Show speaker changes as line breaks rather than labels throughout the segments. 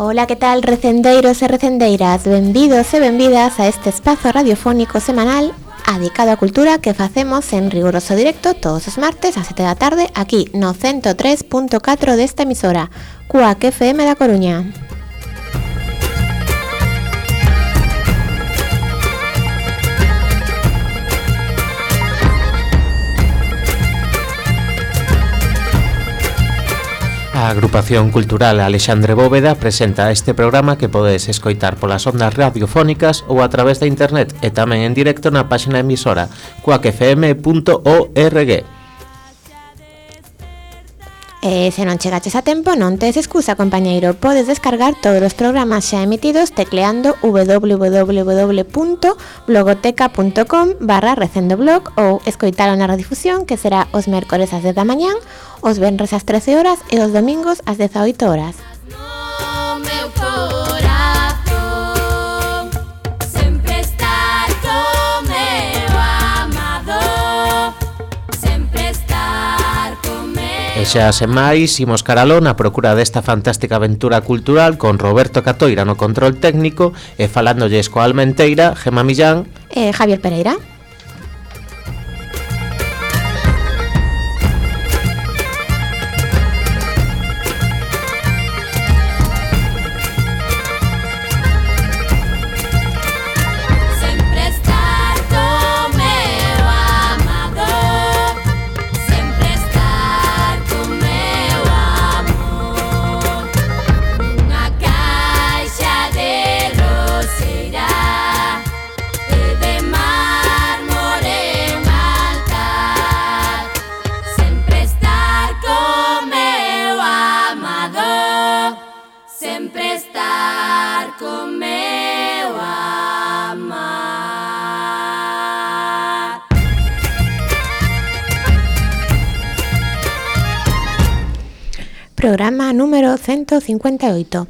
Ola, que tal, recendeiros e recendeiras? Benvidos e benvidas a este espazo radiofónico semanal dedicado á cultura que facemos en riguroso directo todos os martes a 7 da tarde aquí no 103.4 desta emisora, Cuac FM da Coruña.
A Agrupación Cultural Alexandre Bóveda presenta este programa que podedes escoitar polas ondas radiofónicas ou a través da internet e tamén en directo na página emisora cuacfm.org.
Se non chegaches a tempo, non tes excusa, compañeiro. Podes descargar todos os programas xa emitidos tecleando www.blogoteca.com/recendoblog ou escoitalo na redifusión, que será os mércores ás 10 da mañán, os venres ás 13 horas e os domingos ás 18 horas.
E xa sen máis, imos caralón a procura desta fantástica aventura cultural con Roberto Catoira no control técnico e falándolles coa Almenteira, Gemma Millán
e Javier Pereira. Programa número 158.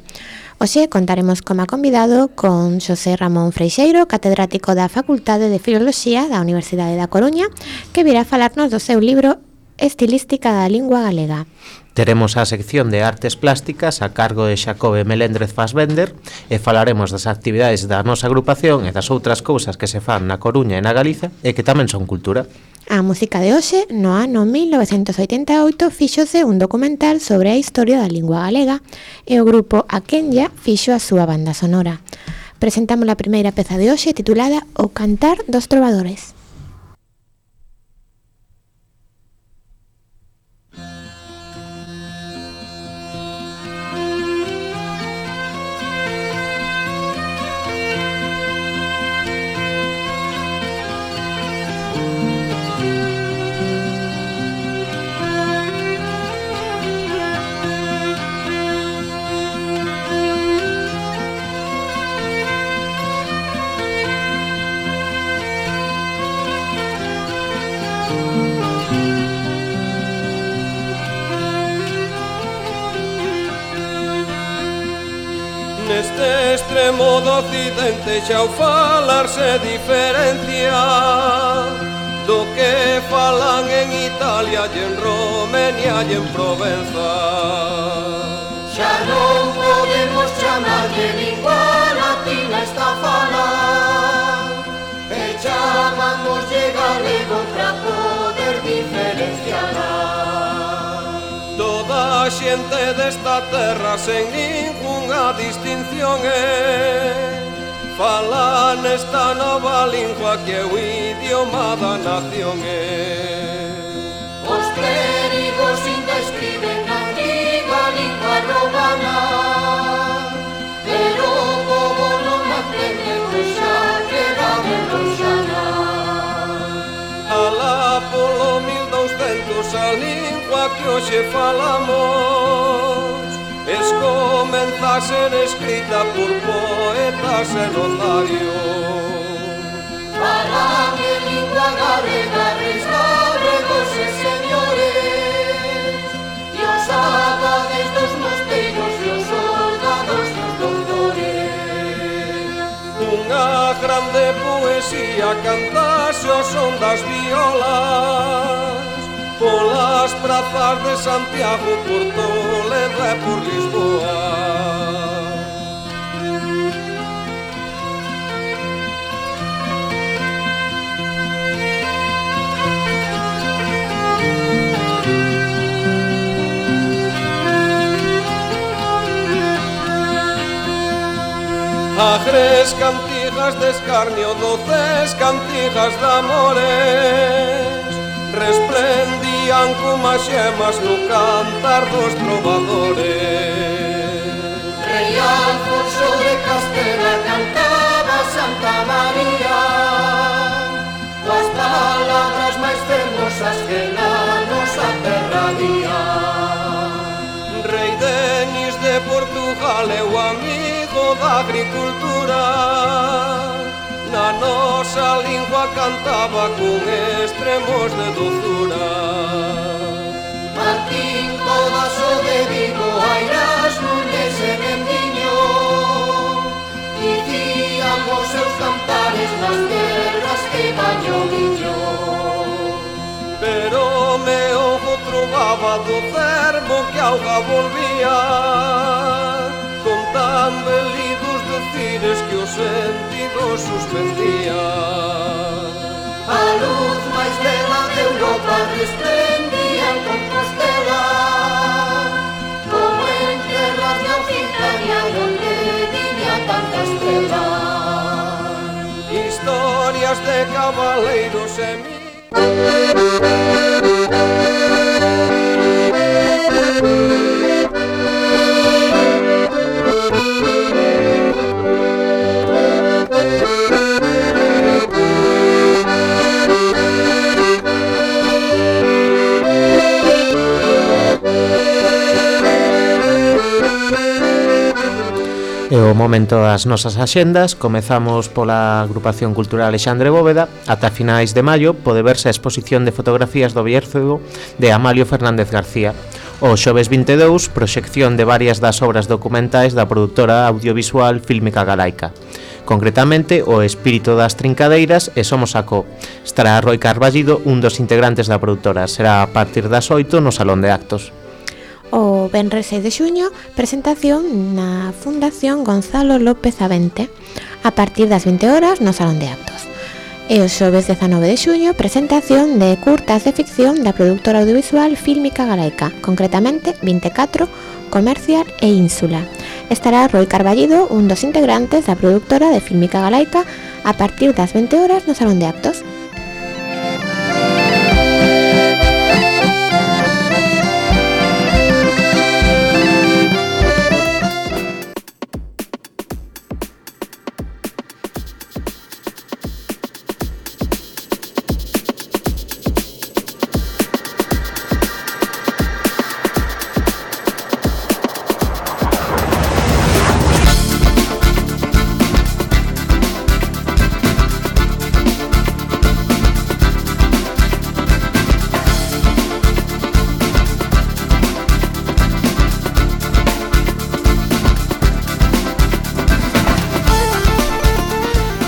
Hoxe contaremos como convidado con Xosé Ramón Freixeiro, catedrático da Facultade de Filoloxía da Universidade da Coruña, que virá falarnos do seu libro Estilística da Lingua Galega.
Teremos a sección de artes plásticas a cargo de Xacobe Meléndez Fassbender e falaremos das actividades da nosa agrupación e das outras cousas que se fan na Coruña e na Galiza e que tamén son cultura.
A música de hoxe, no ano 1988, fíxose un documental sobre a historia da lingua galega e o grupo Aquenya fixo a súa banda sonora. Presentamos a primeira peza de hoxe titulada O Cantar dos Trovadores.
Neste extremo do occidente xa o falar se diferencia do que falan en Italia e en Romenia e en Provenza.
Xa non podemos chamar de lingua latina esta fala e chamamos de galego para poder diferenciarla.
Toda a xente desta terra sen ningunha distinción fala nesta nova lingua que é o idioma da nación.
Os clérigos ainda escriben na antiga lingua romana, pero como non aprende, pois xa queda berroxana.
Alá polo 1200 a lingua que hoxe falamos comeza a ser escrita por poetas e notarios.
Falan en lingua galega, reis galegos e señores, e os abades dos mosteiros e os soldados dos doutores.
Unha grande poesía cantase ao son das violas polas prazas de Santiago, por Toledo e por Lisboa. Agres cantigas de escarnio, doces cantigas de amores, resplendían como as xemas no cantar dos trovadores.
Rei Alfonso de Castela cantaba Santa María, coas palabras máis fermosas que na nosa terra día.
Rei Denis de Portugal é o amigo da agricultura, na nosa lingua cantaba con extremos de dozura.
Martín Codaso de Vigo, Airas, Núñez e Mendiño dicían os seus cantares nas terras que baño viño.
Pero me ojo trovaba do cervo que auga volvía, con tan belidos decires que os sentidos suspendía.
A luz máis bela de Europa resplendía en Compostela, como en terras de Occitania donde viña tanta estrela.
Historias de cabaleiros e
É o momento das nosas axendas. Comezamos pola agrupación cultural Alexandre Bóveda. Ata finais de maio pode verse a exposición de fotografías do Bierzo de Amalio Fernández García. O xoves 22, proxección de varias das obras documentais da produtora audiovisual Fílmica Galaica. Concretamente, O espírito das trincadeiras e Somos Sacó. Estará Roi Carballido, un dos integrantes da produtora. Será a partir das 8 no Salón de Actos.
O venres 6 de xuño, presentación na Fundación Gonzalo López Avente, a partir das 20 horas no Salón de Actos. E o xoves 19 de xuño, presentación de curtas de ficción da productora audiovisual Fílmica Galaica, concretamente 24, Comercial e Ínsula. Estará Roi Carballido, un dos integrantes da productora de Fílmica Galaica, a partir das 20 horas no Salón de Actos.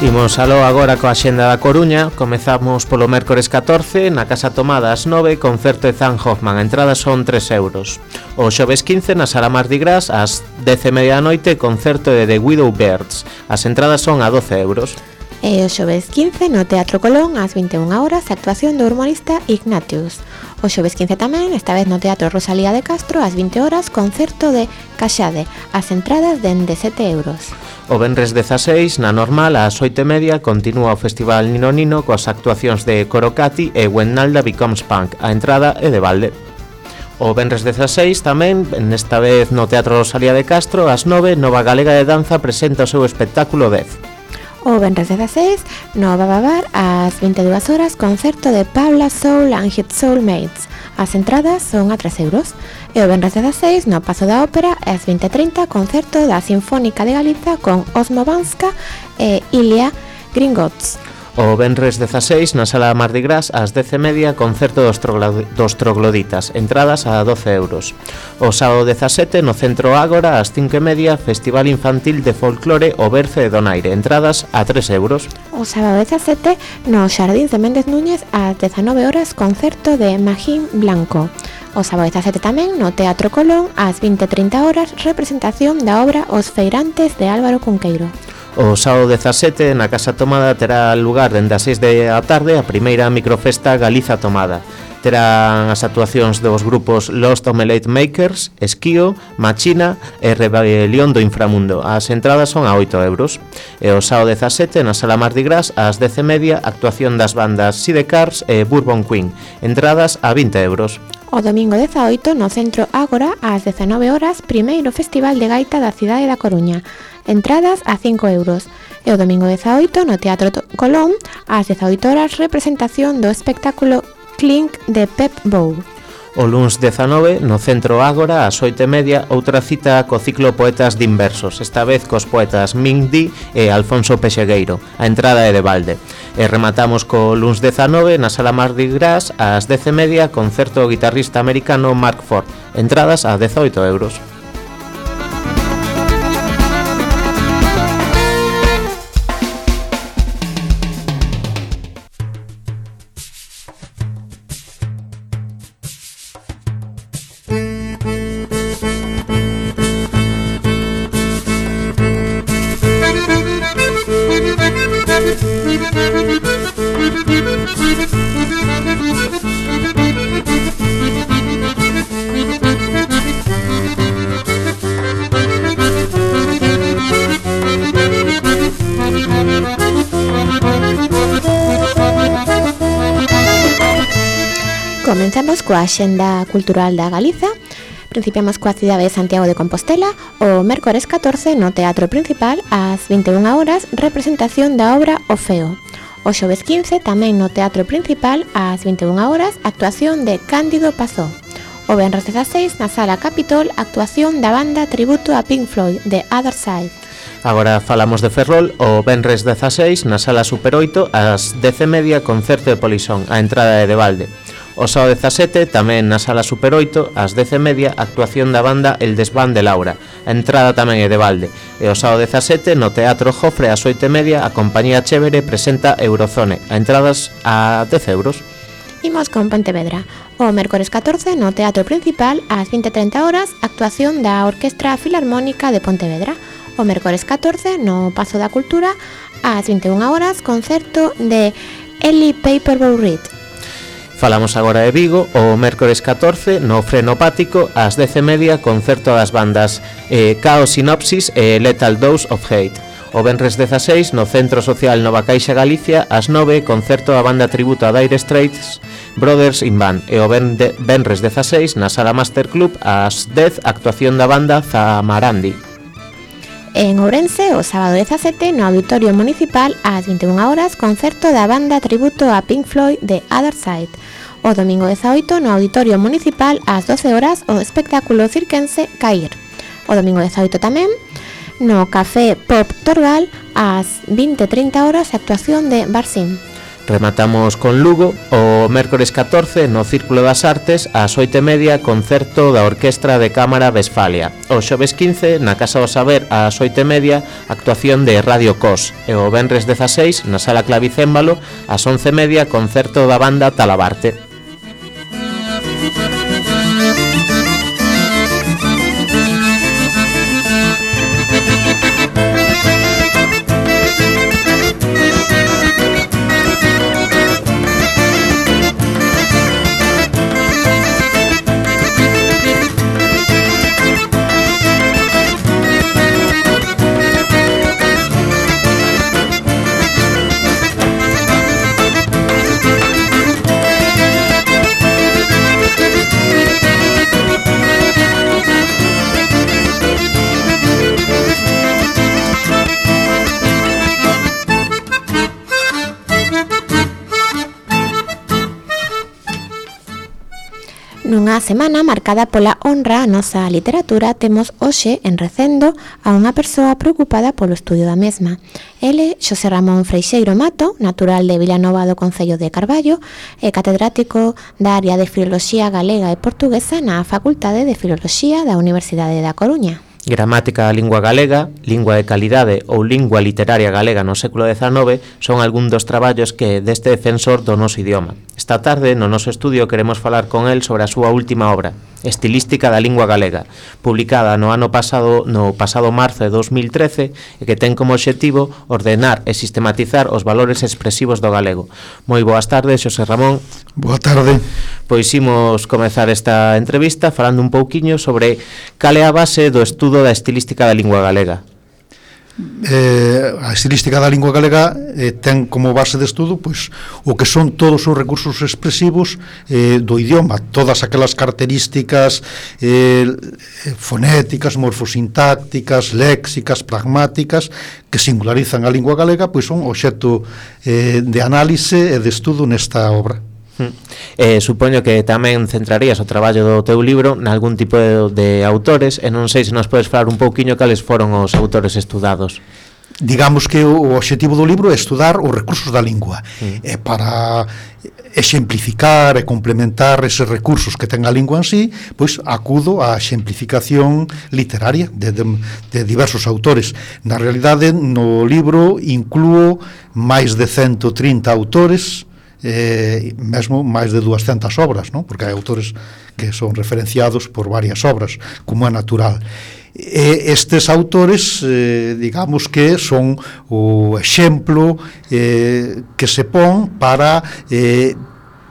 Imos aló agora coa xenda da Coruña. Comezamos polo mércores 14 na Casa Tomada ás 9, concerto de Zan Hoffman. A entrada son 3 euros. O xoves 15 na Sala Mardi Gras ás 10:30 da noite, concerto de The Widow Birds. As entradas son a 12 euros.
E o xoves 15 no Teatro Colón ás 21 horas, actuación do humorista Ignatius. O xoves 15 tamén, esta vez no Teatro Rosalía de Castro ás 20 horas, concerto de Caxade. As entradas dende 7 euros.
O venres 16, na Normal, ás 8:30, continúa o Festival Nino Nino coas actuacións de Corocati e When Nalda Becomes Punk. A entrada é de balde. O venres 16 tamén, nesta vez no Teatro Rosalía de Castro, ás 9, Nova Galega de Danza presenta o seu espectáculo 10.
O venres 16, no Bababar, ás 22 horas, concerto de Pabla Soul and Hit Soulmates. As entradas son a 3 euros. E o venres 16, no Paso da Ópera, ás 20:30, concerto da Sinfónica de Galiza con Osmo Banska e Ilia Gringots.
O venres 16, na Sala Mardi Gras, ás 10:30, concerto dos Trogloditas, entradas a 12 euros. O sábado 17, no Centro Ágora, ás 5:30, Festival Infantil de Folclore O Berce de Donaire, entradas a 3 euros.
O sábado 17, no Xardíns de Méndez Núñez, ás 19 horas, concerto de Magín Blanco. O sábado 17 tamén, no Teatro Colón, ás 20:30 horas, representación da obra Os Feirantes de Álvaro Cunqueiro.
O sábado 17 na Casa Tomada terá lugar dende as 6 da tarde a primeira microfesta Galiza Tomada. Terán as actuacións dos grupos Lost Omelette Makers, Esquío, Machina e Rebelión do Inframundo. As entradas son a 8 euros. E o sábado 17 na Sala Mardi Gras ás 10:30 actuación das bandas Sidecars e Bourbon Queen. Entradas a 20 euros.
O domingo 18 no Centro Ágora ás 19 horas primeiro Festival de Gaita da cidade da Coruña. Entradas a 5 euros. E o domingo 18 no Teatro Colón ás 18 horas representación do espectáculo Clink de Pep Bow.
O luns 19 no Centro Ágora ás 8:30 outra cita co ciclo Poetas de Inversos, esta vez cos poetas Ming Di e Alfonso Pexegueiro. A entrada é de balde. E rematamos co luns 19 na Sala Mardi Gras ás 10:30 concerto do guitarrista americano Mark Ford. Entradas a 18 euros.
Comenzamos coa Axenda Cultural da Galiza. Principiamos coa cidade de Santiago de Compostela. O mércores 14 no Teatro Principal ás 21 horas representación da obra O Feo. O xoves 15 tamén no Teatro Principal ás 21 horas actuación de Cándido Pazó. O venres 16 na Sala Capitol actuación da banda tributo a Pink Floyd The Other Side.
Agora falamos de Ferrol. O venres 16 na Sala Super 8 ás 10:30 concerto de Polisón. A entrada é de balde. O sábado 17 tamén na Sala Super 8 ás 10:30 actuación da banda El Desván de Laura. A entrada tamén é de balde. E o sábado 17 no Teatro Jofre ás 8:30 a compañía Chévere presenta Eurozone. A entradas a 10 euros.
Imos con Pontevedra. O mércores 14 no Teatro Principal ás 20:30 horas actuación da Orquestra Filarmónica de Pontevedra. O mércores 14 no Pazo da Cultura ás 21 horas concerto de Eli Paperboy Reed.
Falamos agora de Vigo. O mércores 14 no Frenopático ás 10:30 concerto das bandas Chaos Synopsis e Lethal Dose of Hate. O venres 16 no Centro Social Nova Caixa Galicia ás 9 concerto da banda tributo a Dire Straits Brothers in Band. E o venres 16 na Sala Master Club ás 10 actuación da banda Zamarandi.
En Ourense, o sábado 17 no Auditorio Municipal ás 21 horas concerto da banda tributo a Pink Floyd The Other Side. O domingo 18 no Auditorio Municipal ás 12 horas o espectáculo cirquense Cair. O domingo 18 tamén no Café Pop Torgal ás 20:30 horas actuación de Barsim.
Rematamos con Lugo. O mércores 14 no Círculo das Artes ás 8:30 concerto da Orquestra de Cámara Westfalia. O xoves 15 na Casa do Saber ás 8:30 actuación de Radio Cos. E o venres 16 na Sala Clavicémbalo ás 11:30 concerto da banda Talabarte.
Nunha semana marcada pola honra a nosa literatura, temos hoxe en Recendo a unha persoa preocupada polo estudio da mesma. Ele, Xosé Ramón Freixeiro Mato, natural de Vilanova do Concello de Carballo, e catedrático da área de Filoloxía Galega e Portuguesa na Facultade de Filoloxía da Universidade da Coruña.
Gramática da lingua galega, Lingua de calidade ou Lingua literaria galega no século XIX son algún dos traballos que deste defensor do noso idioma. Esta tarde, no noso estudio, queremos falar con el sobre a súa última obra, Estilística da lingua galega, publicada no pasado marzo de 2013 e que ten como obxectivo ordenar e sistematizar os valores expresivos do galego. Moi boas tardes, Xosé Ramón.
Boa tarde.
Pois imos comezar esta entrevista falando un pouquiño sobre cal é a base do estudo da estilística da lingua galega.
A estilística da lingua galega ten como base de estudo pois o que son todos os recursos expresivos do idioma, todas aquelas características fonéticas, morfosintácticas, léxicas, pragmáticas que singularizan a lingua galega, pois son obxecto de análise e de estudo nesta obra.
Supoño que tamén centrarías o traballo do teu libro nalgún tipo de autores e non sei se nos podes falar un pouquiño cales foron os autores estudados.
Digamos que o obxectivo do libro é estudar os recursos da lingua e para exemplificar e complementar eses recursos que ten a lingua en sí, pois acudo á exemplificación literaria de diversos autores. Na realidade, no libro inclúo máis de 130 autores, mesmo máis de 200 obras, non? Porque hai autores que son referenciados por varias obras, como é natural. Estes autores, digamos que son o exemplo que se pon para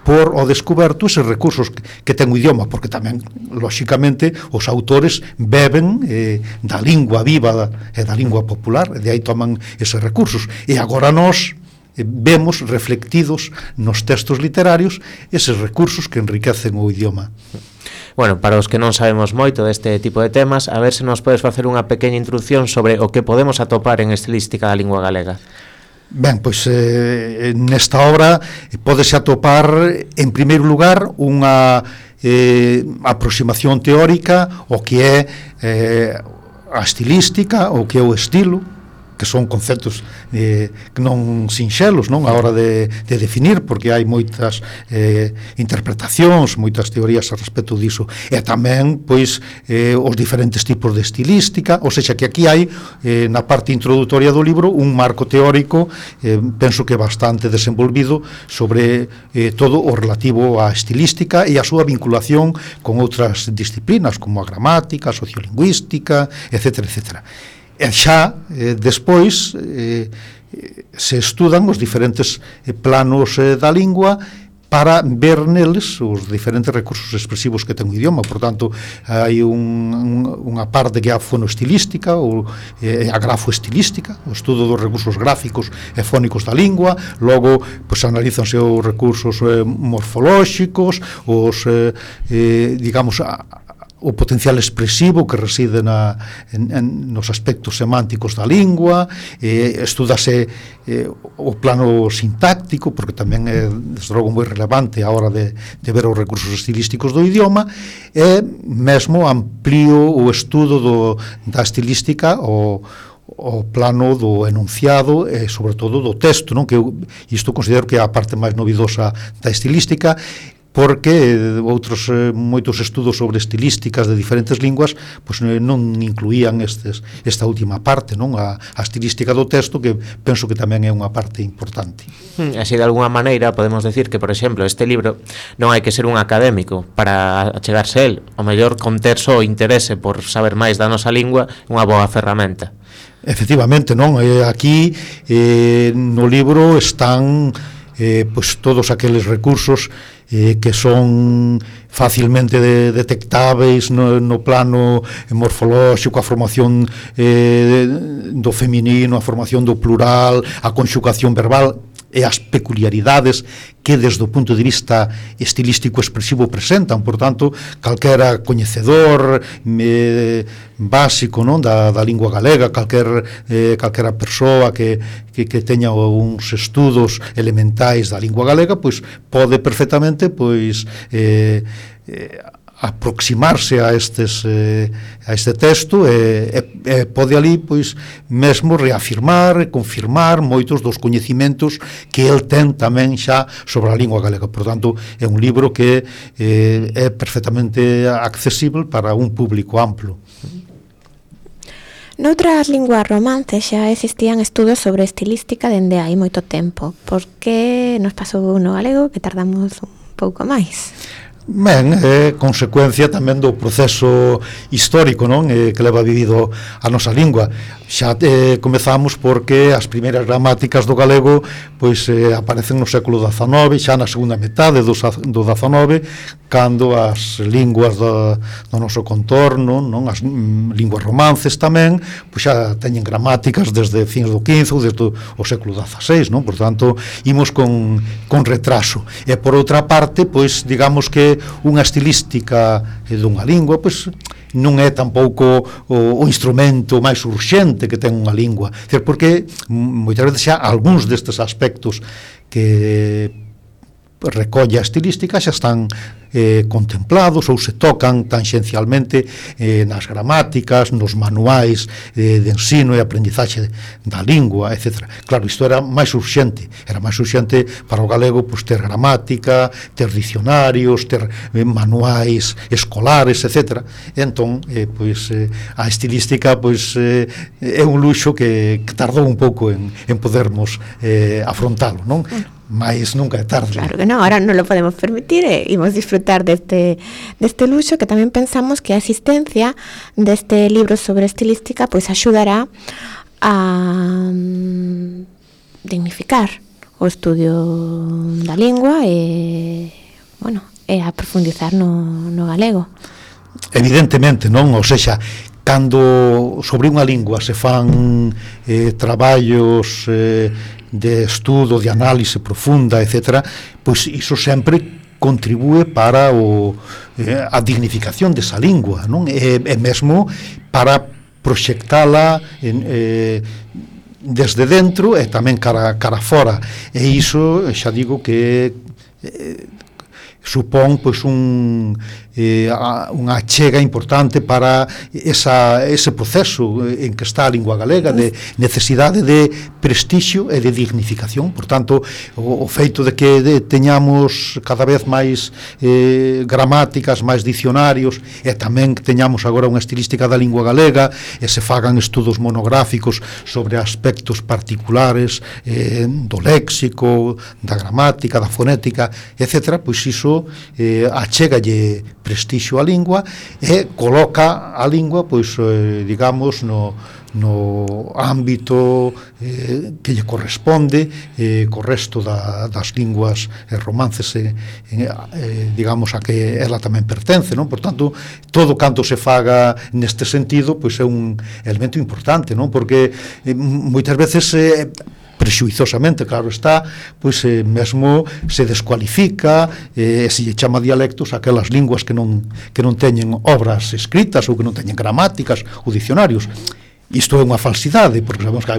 por ao descoberto eses recursos que ten o idioma, porque tamén, lóxicamente, os autores beben da lingua viva e da lingua popular, e de aí toman eses recursos. E agora nós vemos reflectidos nos textos literarios eses recursos que enriquecen o idioma.
Bueno, para os que non sabemos moito deste tipo de temas, a ver se nos podes facer unha pequena introducción sobre o que podemos atopar en estilística da lingua galega.
Ben, pois nesta obra pódese atopar, en primeiro lugar, unha aproximación teórica ao que é a estilística, o que é o estilo, que son conceptos que non sinxelos, non, a hora de definir, porque hai moitas interpretacións, moitas teorías a respecto diso, e tamén, pois, os diferentes tipos de estilística, ou seja, que aquí hai, na parte introductoria do libro, un marco teórico, penso que bastante desenvolvido, sobre todo o relativo á estilística e a súa vinculación con outras disciplinas, como a gramática, a sociolingüística, etc., etc. E xa, despois, se estudan os diferentes planos da lingua para ver neles os diferentes recursos expresivos que ten o idioma. Por tanto, hai unha parte que é a fonoestilística ou a grafoestilística, o estudo dos recursos gráficos e fónicos da lingua. Logo, pois, analízanse os recursos morfolóxicos, os, digamos, o potencial expresivo que reside nos aspectos semánticos da lingua, estudase o plano sintáctico, porque tamén é, desde logo, moi relevante a hora de ver os recursos estilísticos do idioma, e mesmo amplío o estudo da estilística o plano do enunciado e, sobre todo, do texto, non? Que isto considero que é a parte máis novidosa da estilística, porque moitos estudos sobre estilísticas de diferentes linguas pois non incluían esta última parte, non, a estilística do texto, que penso que tamén é unha parte importante.
Así, de alguna maneira, podemos decir que, por exemplo, este libro non hai que ser un académico para achegarse a él. O mellor, conter só o interese por saber máis da nosa lingua é unha boa ferramenta.
Efectivamente, non? Aquí no libro están pois todos aqueles recursos que son facilmente detectáveis no plano morfolóxico, a formación do feminino, a formación do plural, a conxugación verbal e as peculiaridades que desde o punto de vista estilístico expresivo presentan. Por tanto, calquera coñecedor básico, non, da lingua galega, calquera persoa que teña uns estudos elementais da lingua galega, pois pode perfectamente pois aproximarse a este texto e pode ali pois mesmo reafirmar e confirmar moitos dos coñecimentos que el ten tamén xa sobre a lingua galega. Por tanto, é un libro que é perfectamente accesible para un público amplo.
Noutras linguas romances xa existían estudos sobre estilística dende hai moito tempo. Por que nos pasou no galego que tardamos un pouco máis?
Ben, é consecuencia tamén do proceso histórico, non? Que leva vivido a nosa lingua. Xa comezamos porque as primeiras gramáticas do galego pois aparecen no século XIX, xa na segunda metade do XIX, cando as linguas do noso contorno, non, as linguas romances tamén, pois xa teñen gramáticas desde fins do XV ou desde o século XVI, non? Por tanto, imos con retraso. E por outra parte, pois digamos que unha estilística dunha lingua, pois non é tampouco o instrumento máis urxente que ten unha lingua, porque moitas veces xa algúns destes aspectos que recolle a estilística xa están contemplados ou se tocan tangencialmente nas gramáticas, nos manuais de ensino e aprendizaxe da lingua, etc. Claro, isto era máis urxente para o galego, pois, ter gramática, ter dicionarios, ter manuais escolares, etc. Entón, pois, a estilística pois, é un luxo que tardou un pouco en podermos afrontalo, non? Mas nunca é tarde.
Claro que non, ahora non lo podemos permitir e imos disfrutar deste luxo, que tamén pensamos que a existencia deste libro sobre estilística pois axudará a dignificar o estudio da lingua e, bueno, e a profundizar no galego.
Evidentemente, non? Ou sexa, cando sobre unha lingua se fan traballos de estudo, de análise profunda, etc., pois iso sempre contribúe para a dignificación desa lingua, non? E mesmo para proxectala desde dentro e tamén cara fora. E iso, xa digo que supón pois unha achega importante para ese proceso en que está a lingua galega de necesidade de prestixio e de dignificación. Por tanto, o feito de que teñamos cada vez máis gramáticas, máis dicionarios, e tamén que teñamos agora unha estilística da lingua galega e se fagan estudos monográficos sobre aspectos particulares do léxico, da gramática, da fonética, etc., pois iso achegalle prestixio á lingua e coloca a lingua, pois, digamos, no ámbito que lle corresponde co resto das linguas romances, digamos, a que ela tamén pertence, non? Por tanto, todo canto se faga neste sentido, pois é un elemento importante, non? Porque moitas veces prexuizosamente, claro está, pois mesmo se descualifica, se lle chama dialectos aquelas linguas que non teñen obras escritas ou que non teñen gramáticas ou dicionarios. Isto é unha falsidade, porque sabemos que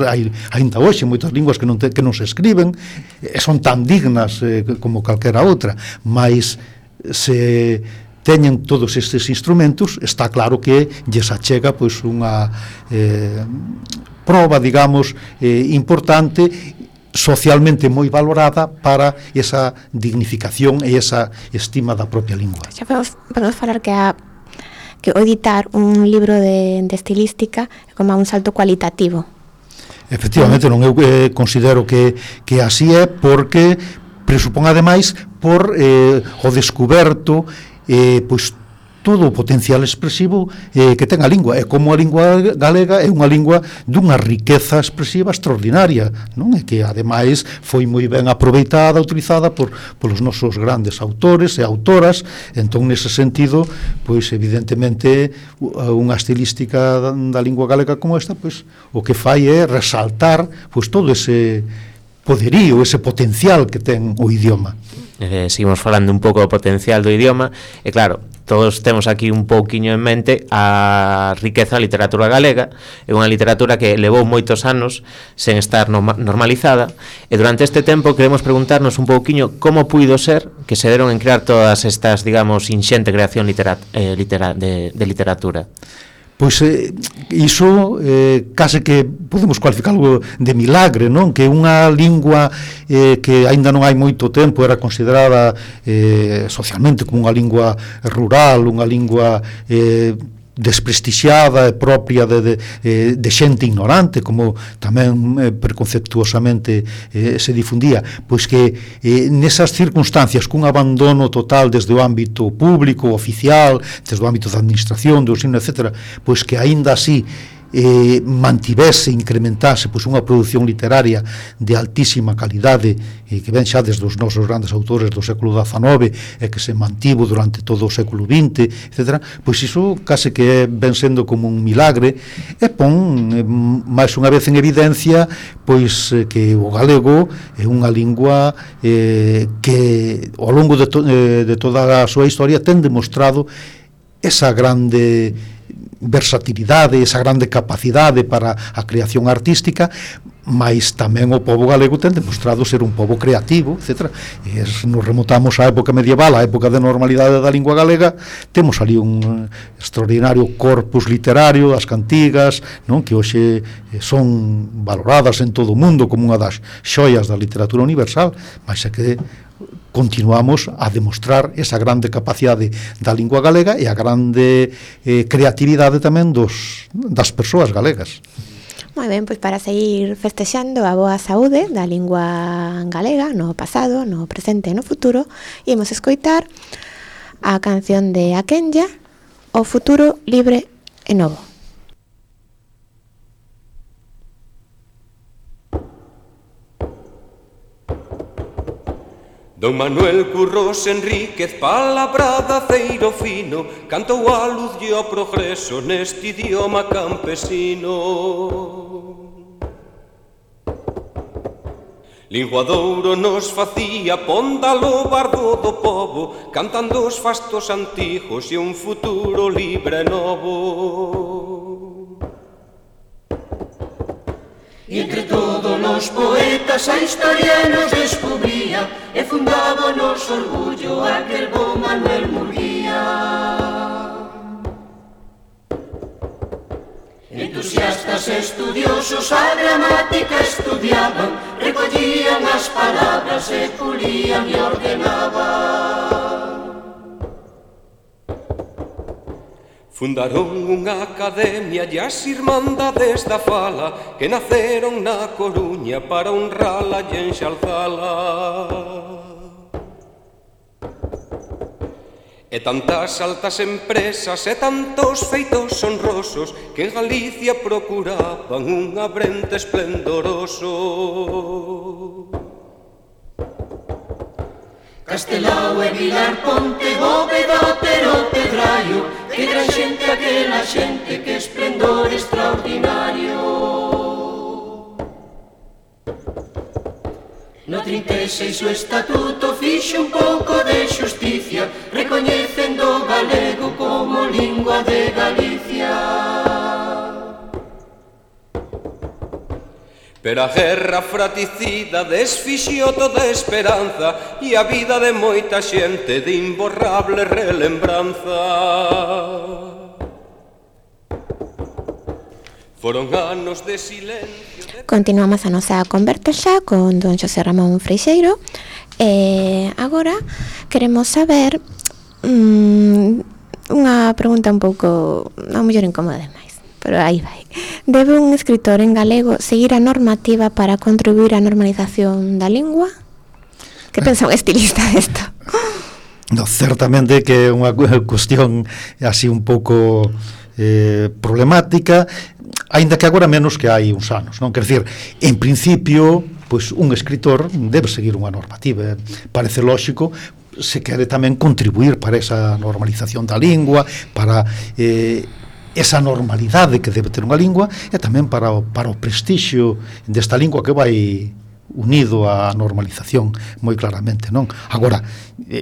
hai ainda hoxe moitas linguas que non se escriben e son tan dignas como calquera outra, mas se teñen todos estes instrumentos, está claro que lles achega pois unha proba, digamos, importante, socialmente moi valorada para esa dignificación e esa estima da propia lingua.
Xa podemos falar que o editar un libro de estilística é como un salto cualitativo.
Efectivamente, non, eu considero que así é, porque presupón ademais por o descuberto pois todo o potencial expresivo que ten a lingua, e como a lingua galega é unha lingua dunha riqueza expresiva extraordinaria, non? E que ademais foi moi ben aproveitada, utilizada polos nosos grandes autores e autoras. Entón, nese sentido, pois evidentemente unha estilística da lingua galega como esta, pois o que fai é resaltar pois todo ese poderío, ese potencial que ten o idioma.
Seguimos falando un pouco do potencial do idioma, e claro, todos temos aquí un pouquiño en mente a riqueza da literatura galega. É unha literatura que levou moitos anos sen estar normalizada, e durante este tempo queremos preguntarnos un pouquiño como puido ser que se deron en crear todas estas, digamos, inxente creación de literatura.
Pois iso case que podemos cualificarlo de milagre, non? Que unha lingua que aínda non hai moito tempo era considerada socialmente como unha lingua rural, unha lingua desprestixiada e propia de xente ignorante, como tamén preconceptuosamente se difundía, pois que nesas circunstancias, cun abandono total desde o ámbito público, oficial, desde o ámbito da administración, do ensino, etc., pois que aínda así mantivese, incrementase pois unha produción literaria de altísima calidade que ven xa desde os nosos grandes autores do século XIX e que se mantivo durante todo o século XX, etc., pois iso case que ven sendo como un milagre e pon máis unha vez en evidencia pois que o galego é unha lingua que ao longo de toda a súa historia ten demostrado esa grande versatilidade, esa grande capacidade para a creación artística, mas tamén o pobo galego ten demostrado ser un pobo creativo, etc. E nos remontamos á época medieval, á época de normalidade da lingua galega, temos ali un extraordinario corpus literario, as cantigas, non, que hoxe son valoradas en todo o mundo como unha das xoias da literatura universal, mas é que continuamos a demostrar esa grande capacidade da lingua galega e a grande creatividade tamén das persoas galegas.
Moi ben, pois para seguir festexando a boa saúde da lingua galega no pasado, no presente e no futuro, imos escoitar a canción de Aquenlla, O futuro libre e novo.
Don Manuel Curros Enríquez, palabrada ceiro fino, cantou a luz e o progreso neste idioma campesino. Linguadouro nos facía pondalo bardo do pobo, cantando os fastos antigos e un futuro libre e novo.
E entre todos os poetas a historia nos descubría e fundaba o noso orgullo aquel bo Manuel Murguía. Entusiastas estudiosos a gramática estudiaban, recollían as palabras e pulían e ordenaban.
Fundaron unha academia e as irmandades da fala que naceron na Coruña para honrala e enxalzala. E tantas altas empresas e tantos feitos honrosos que en Galicia procuraban un abrente esplendoroso.
Castelao e Vilar Ponte, Bóveda, Otero, Pedraio, que gran xente aquela xente, que esplendor extraordinario. No 36 o estatuto fixe un pouco de xusticia, recoñecendo o galego como lingua de Galicia.
Pero a guerra fratricida desfixiou toda a esperanza e a vida de moita xente de imborrable relembranza. Foron anos de silencio.
Continuamos a nosa conversa xa con don Xosé Ramón Freixeiro e agora queremos saber unha pregunta un pouco a mellor incómoda demais, pero aí vai. Debe un escritor en galego seguir a normativa para contribuir á normalización da lingua? Que pensa un estilista desto?
No, certamente que é unha cuestión así un pouco problemática, aínda que agora menos que hai uns anos, non? Quer dicir, en principio, pois un escritor debe seguir unha normativa, parece lóxico, se quere tamén contribuir para esa normalización da lingua, para esa normalidade que debe ter unha lingua e tamén para o prestixio desta lingua que vai unido á normalización moi claramente, non? Agora,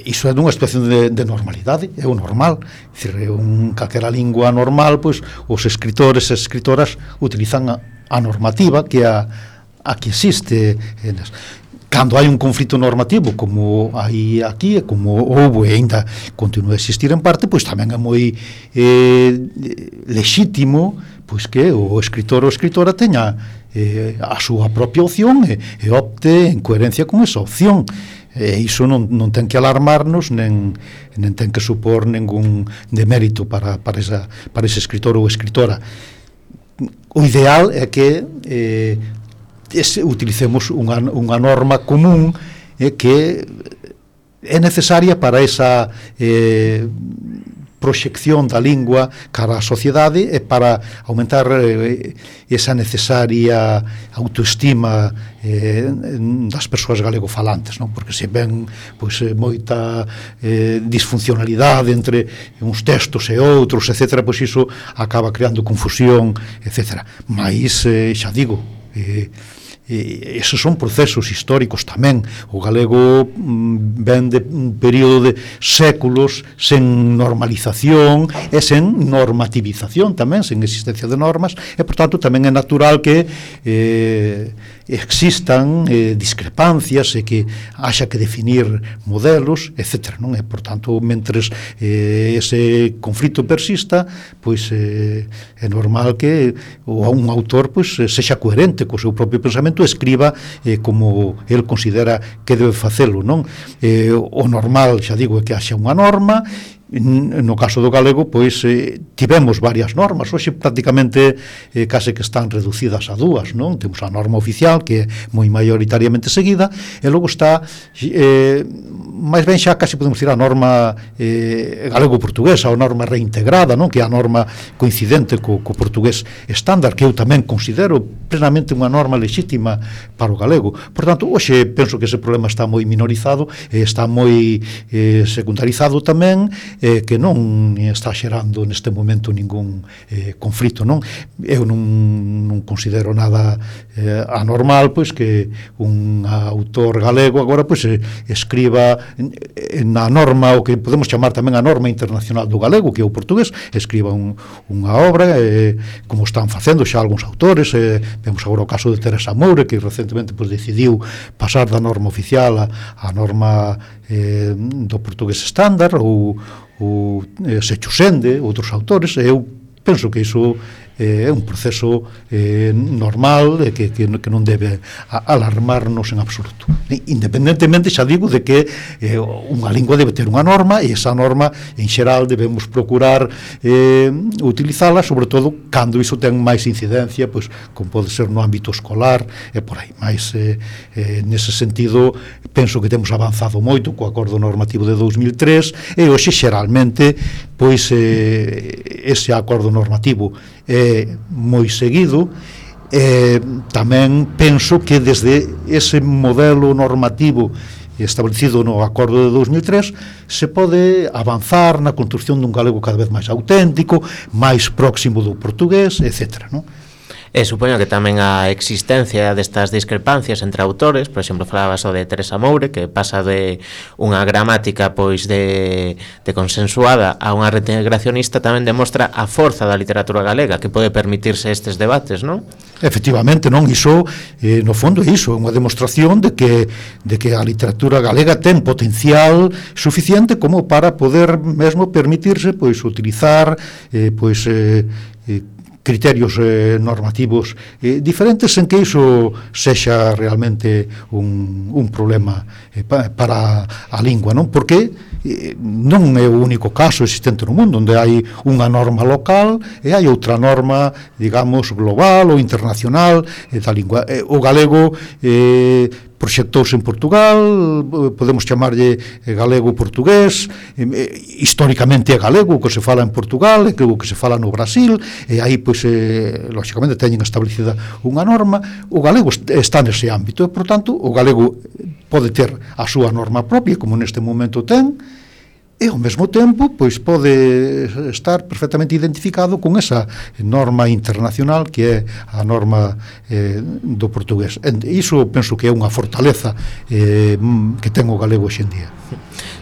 iso é dunha situación de normalidade, é o normal, é dicir, calquera lingua normal, pois os escritores e escritoras utilizan a normativa que a que existe. Cando hai un conflito normativo como hai aquí e como houve e ainda continua a existir en parte, pois tamén é moi lexítimo pois que o escritor ou escritora teña a súa propia opción e opte en coherencia con esa opción. E iso non ten que alarmarnos, nen ten que supor ningún demérito para ese escritor ou escritora. O ideal é que utilicemos unha norma común que é necesaria para esa proxección da lingua cara á sociedade e para aumentar esa necesaria autoestima das persoas galegofalantes, non? Porque se ven moita disfuncionalidade entre uns textos e outros, etc., pois iso acaba creando confusión, etc. Mais, xa digo, esos son procesos históricos tamén. O galego ven de un período de séculos sen normalización e sen normativización tamén, sen existencia de normas, e por tanto tamén é natural que existan discrepancias e que haxa que definir modelos, etc., non? E por tanto, mentres ese conflito persista, pois é normal que un autor pois sexa coherente co seu propio pensamento, escriba como el considera que debe facelo, non? O normal, xa digo, é que haxa unha norma. No caso do galego, pois tivemos varias normas, hoxe prácticamente case que están reducidas a dúas, non? Temos a norma oficial, que é moi maioritariamente seguida, e logo está máis ben xa casi podemos decir a norma galego-portuguesa, ou norma reintegrada, non? Que é a norma coincidente co portugués estándar, que eu tamén considero plenamente unha norma lexítima para o galego. Por tanto, hoxe penso que ese problema está moi minorizado, está moi secundarizado tamén, que non está xerando neste momento ningún conflito, non? Eu non considero nada anormal, pois, que un autor galego agora pois escriba na norma, o que podemos chamar tamén a norma internacional do galego, que é o portugués, escriba unha obra, como están facendo xa algúns autores. Vemos agora o caso de Teresa Moure, que recentemente pois decidiu pasar da norma oficial a norma do portugués estándar, ou Sechusende, outros autores. Eu penso que iso é un proceso normal, que non debe alarmarnos en absoluto, independentemente, xa digo, de que unha lingua debe ter unha norma, e esa norma en xeral debemos procurar utilizala, sobre todo cando iso ten máis incidencia, pois, como pode ser no ámbito escolar e por aí. Mais nese sentido penso que temos avanzado moito co acordo normativo de 2003, e hoxe xeralmente pois ese acordo normativo é moi seguido. Tamén penso que desde ese modelo normativo establecido no acordo de 2003 se pode avanzar na construción dun galego cada vez máis auténtico, máis próximo do portugués, etc., non?
E supoño que tamén a existencia destas discrepancias entre autores, por exemplo, falabas o de Teresa Moure, que pasa de unha gramática pois de consensuada a unha reintegracionista, tamén demostra a forza da literatura galega, que pode permitirse estes debates, non?
Efectivamente, non? Iso, no fondo, é iso, é unha demostración de que a literatura galega ten potencial suficiente como para poder mesmo permitirse pois utilizar criterios normativos diferentes, en que iso sexa realmente un problema para a lingua, non? Porque non é o único caso existente no mundo onde hai unha norma local e hai outra norma, digamos, global ou internacional da lingua. O galego proxectouse en Portugal, podemos chamarlle galego-portugués, históricamente é galego o que se fala en Portugal, é o que se fala no Brasil, e aí, pois, lógicamente, teñen establecida unha norma. O galego está nese ámbito, e, por tanto, o galego pode ter a súa norma propia, como neste momento ten, e ao mesmo tempo pois pode estar perfectamente identificado con esa norma internacional que é a norma do portugués. Iso penso que é unha fortaleza que ten o galego hoxe en día.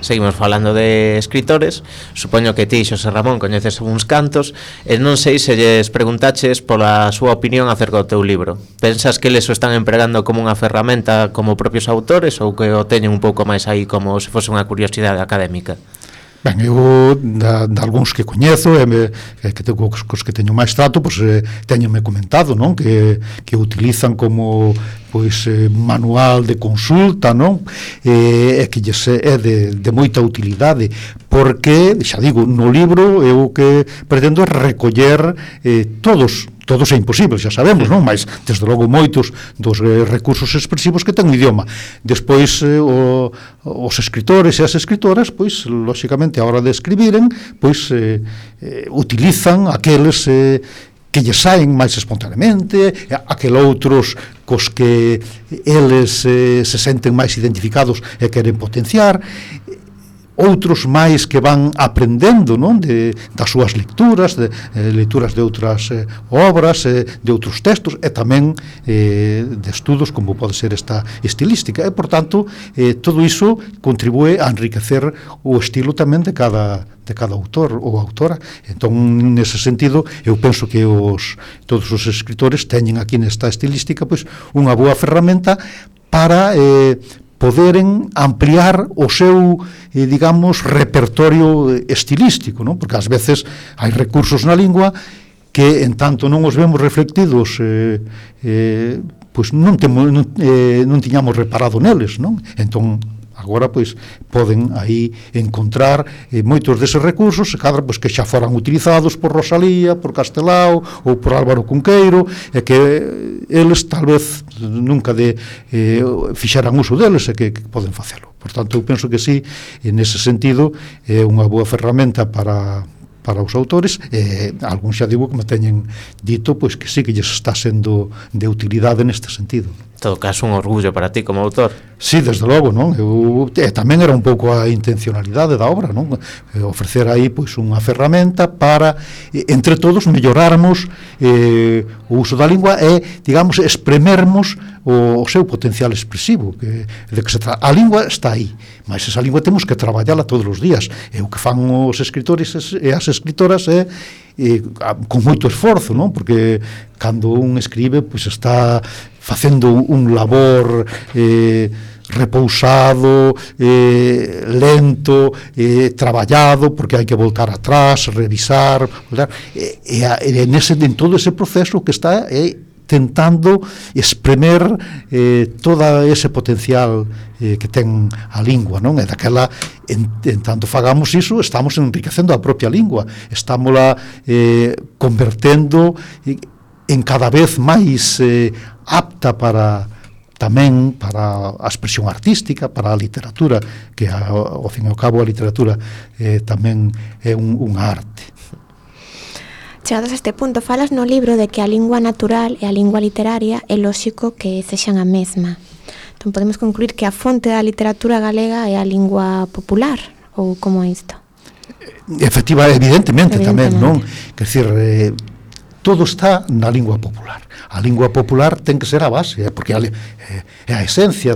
Seguimos falando de escritores. Supoño que ti, Xosé Ramón, coñeces uns cantos, e non sei se lles preguntaches pola súa opinión acerca do teu libro. Pensas que eles o están empregando como unha ferramenta como propios autores, ou que o teñen un pouco máis aí como se fose unha curiosidade académica?
Ben, eu, de algúns que coñezo, cos que teño máis trato, pois teñome comentado, non? Que utilizan como manual de consulta, non? E que lles é de moita utilidade, porque, xa digo, no libro eu que pretendo é recoller todos é imposible, xa sabemos, non? Mas, desde logo, moitos dos recursos expresivos que ten o idioma. Despois, os escritores e as escritoras, pois, lóxicamente, a hora de escribiren, pois, utilizan aqueles que lles saen máis espontaneamente, aquel outros cos que eles se senten máis identificados e queren potenciar, outros máis que van aprendendo, non? Das súas lecturas, lecturas de outras obras, de outros textos, e tamén de estudos como pode ser esta estilística, e, por tanto, todo iso contribúe a enriquecer o estilo tamén de cada autor ou autora. Entón, nese sentido, eu penso que todos os escritores teñen aquí nesta estilística pois unha boa ferramenta para poderen ampliar o seu, digamos, repertorio estilístico, non? Porque ás veces hai recursos na lingua que, en tanto non os vemos reflectidos, pois non tiñamos reparado neles, non? Entón, agora, pois, poden aí encontrar moitos deses recursos, pois, que xa foran utilizados por Rosalía, por Castelao ou por Álvaro Cunqueiro, e que eles tal vez nunca fixeran uso deles, e que poden facelo. Por tanto, eu penso que sí, nese sentido, é unha boa ferramenta para os autores, algún xa digo que me teñen dito pois que sí que lles está sendo de utilidade neste sentido.
En todo caso, un orgullo para ti como autor.
Sí, desde logo, non? Tamén era un pouco a intencionalidade da obra, non? Ofrecer aí pois unha ferramenta para, entre todos, mellorarmos o uso da lingua e, digamos, espremermos o seu potencial expresivo, a lingua está aí, mas esa lingua temos que traballala todos os días, e o que fan os escritores e as escritoras é con moito esforzo, non? Porque cando un escribe, pois está facendo un labor repousado, lento, traballado, porque hai que voltar atrás, revisar, en todo ese proceso que está tentando espremer todo ese potencial que ten a lingua, non? E daquela, en tanto fagamos iso, estamos enriquecendo a propia lingua, estámola convertendo en cada vez máis apta tamén para a expresión artística, para a literatura, que ao fin e ao cabo a literatura tamén é unha arte.
Chegados a este punto, falas no libro de que a lingua natural e a lingua literaria é lóxico que sexan a mesma. Entón podemos concluir que a fonte da literatura galega é a lingua popular, ou como é isto?
Evidentemente tamén, non? Quer dizer, todo está na lingua popular. A lingua popular ten que ser a base, porque é a esencia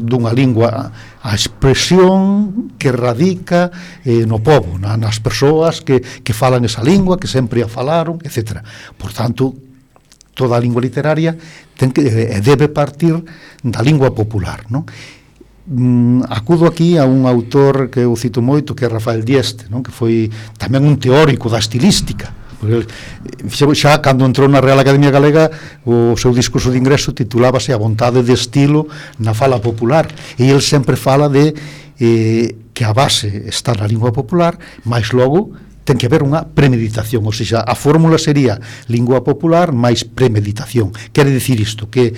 dunha lingua, a expresión que radica no pobo, nas persoas que falan esa lingua, que sempre a falaron, etc. Por tanto, toda a lingua literaria debe partir da lingua popular, non? Acudo aquí a un autor que eu cito moito, que é Rafael Dieste, non? Que foi tamén un teórico da estilística. Xa cando entrou na Real Academia Galega, o seu discurso de ingreso titulábase A vontade de estilo na fala popular, e ele sempre fala de que a base está na lingua popular, mas logo ten que haber unha premeditación, ou seja, a fórmula sería lingua popular máis premeditación. Quere dicir isto, que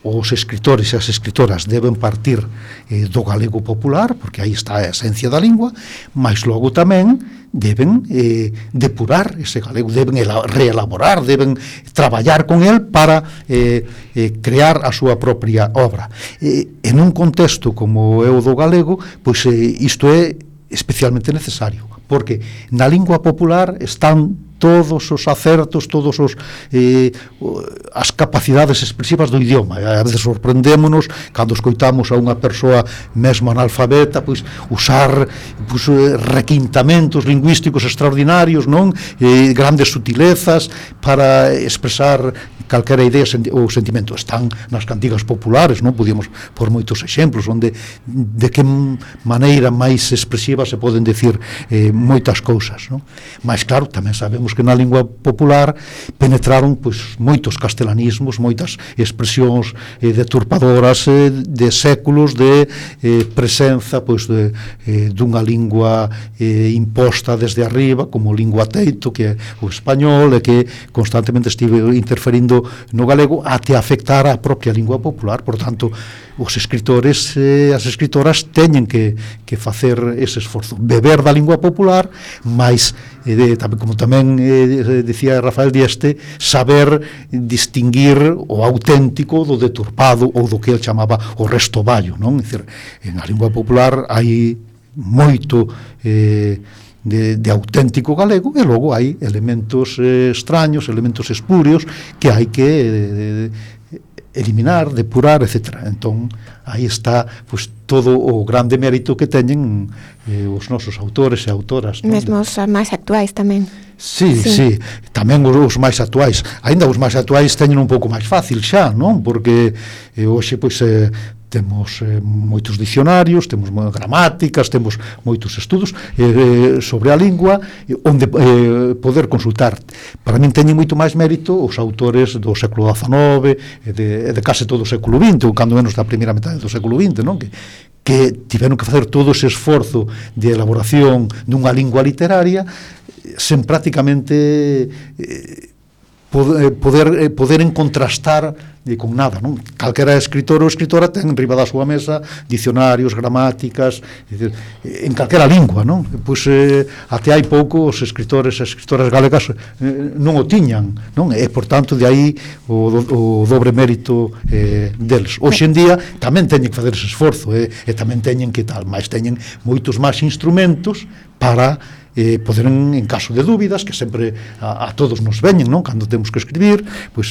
os escritores e as escritoras deben partir do galego popular, porque aí está a esencia da lingua, mas logo tamén deben depurar ese galego, deben reelaborar, deben traballar con el para crear a súa propia obra. En un contexto como é o do galego, pois isto é especialmente necesario, porque na lingua popular están todos os acertos, todos os as capacidades expresivas do idioma. A veces sorprendémonos cando escoitamos a unha persoa mesmo analfabeta pois usar requintamentos lingüísticos extraordinarios, non? Grandes sutilezas para expresar calquera idea ou sentimento. Están nas cantigas populares, non? Podíamos por moitos exemplos onde de que maneira máis expresiva se poden decir moitas cousas, non? Mas claro, tamén sabemos que na lingua popular penetraron pois moitos castelanismos, moitas expresións deturpadoras de séculos de presenza pois dunha lingua imposta desde arriba como lingua teito que é o español e que constantemente estive interferindo no galego até afectar a propia lingua popular. Por tanto, os escritores e as escritoras teñen que facer ese esforzo, beber da lingua popular, mas como tamén decía Rafael Dieste, saber distinguir o auténtico do deturpado ou do que ele chamaba o restoballo, non? É dicir, na lingua popular hai moito de auténtico galego e logo hai elementos extraños, elementos espurios que hai que eliminar, depurar, etc. Entón, aí está pois, todo o grande mérito que teñen os nosos autores e autoras, non?
Mesmo os máis actuais tamén.
Sí, tamén os máis actuais. Ainda os máis actuais teñen un pouco máis fácil xa, non? Porque hoxe pois temos moitos dicionarios, temos gramáticas, temos moitos estudos sobre a lingua onde poder consultar. Para min teñen moito máis mérito os autores do século XIX e de case todo o século XX, ou cando menos da primeira metade do século XX, non? Que tiveron que facer todo ese esforzo de elaboración dunha lingua literaria sen prácticamente poder contrastar con nada, non? Calquera escritor ou escritora ten riba da súa mesa dicionarios, gramáticas, en calquera lingua, non? Pois até hai pouco os escritores e escritoras galegas non o tiñan, non? E por tanto de aí o dobre mérito deles. Hoxe en día tamén teñen que facer ese esforzo e tamén teñen que tal, mas teñen moitos máis instrumentos para poder en caso de dúbidas que sempre a todos nos veñen, non? Cando temos que escribir pois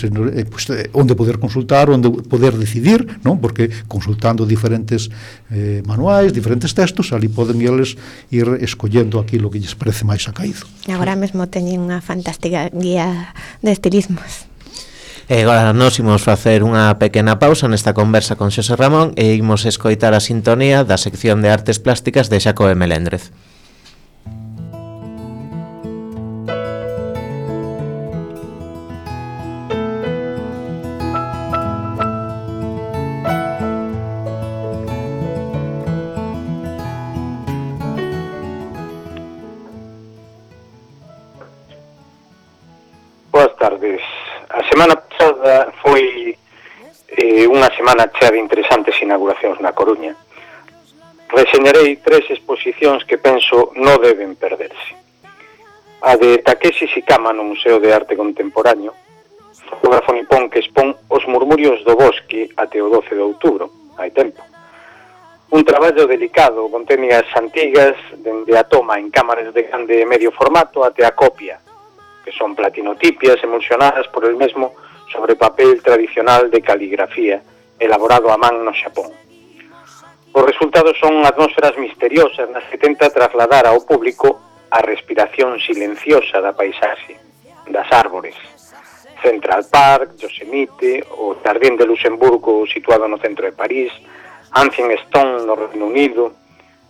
onde poder consultar, onde poder decidir, non? Porque consultando diferentes manuais, diferentes textos, ali poden eles ir escollendo aquilo que lles parece máis acaído.
Agora mesmo teñen unha fantástica guía de estilismos.
E agora nós imos facer unha pequena pausa nesta conversa con Xosé Ramón e imos escoitar a sintonía da sección de artes plásticas de Xacobe Meléndrez.
A semana pasada foi unha semana chea de interesantes inauguracións na Coruña. Reseñarei 3 exposicións que penso non deben perderse. A de Takeshi Shikama no Museo de Arte Contemporáneo, fotógrafo nipón que expón Os murmurios do bosque até o 12 de outubro, hai tempo. Un traballo delicado con técnicas antigas, dende a toma en cámaras de grande e medio formato até a copia, que son platinotipias emulsionadas por el mesmo sobre papel tradicional de caligrafía elaborado a man no Xapón. Os resultados son atmósferas misteriosas nas que tenta trasladar ao público a respiración silenciosa da paisaxe, das árbores. Central Park, Yosemite, o Jardín de Luxemburgo situado no centro de París, Ancient Stone no Reino Unido,